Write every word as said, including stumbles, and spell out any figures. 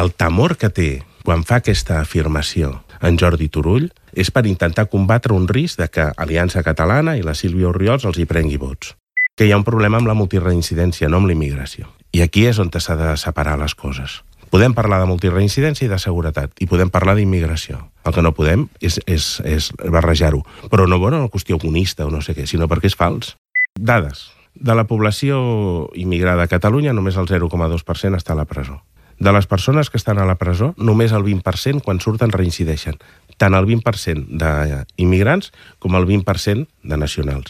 El temor que té quan fa aquesta afirmació en Jordi Turull és per intentar combatre un risc de que Aliança Catalana i la Sílvia Orriols els hi prengui vots. Que hi ha un problema amb la multireincidència, no amb l'immigració. I aquí és on s'ha de separar les coses. Podem parlar de multireincidència i de seguretat, i podem parlar d'immigració. El que no podem és, és, és barrejar-ho. Però no per una qüestió comunista o no sé què, sinó perquè és fals. Dades. De la població immigrada a Catalunya, només el zero coma dos per cent està a la presó. De les persones que estan a la presó, només el vint per cent quan surten reincideixen. Tant el vint per cent d'immigrants com el vint per cent de nacionals.